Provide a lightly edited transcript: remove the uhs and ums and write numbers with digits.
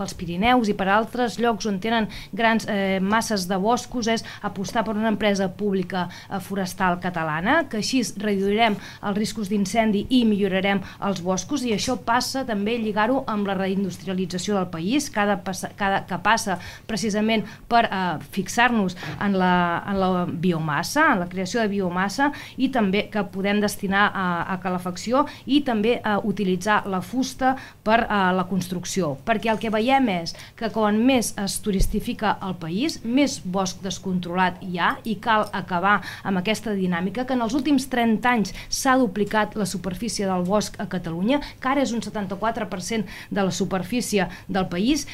pels Pirineus i per altres llocs on tenen grans masses de boscos, és apostar per una empresa pública forestal catalana, que així reduirem els riscos d'incendi i millorarem els boscos, i això passa també lligar-ho amb la reindustrialització del país, que passa precisament per fixar-nos en la biomassa, en la creació de biomassa, i també que podem destinar a calefacció i també a utilitzar la fusta per la construcció, perquè el que veiem és que quan més es turistifica el país, més bosc descontrolat hi ha, i cal acabar amb aquesta dinàmica, que en els últims 30 anys s'ha duplicat la superfície del bosc a Catalunya, que ara és un 74% de la superfície del país,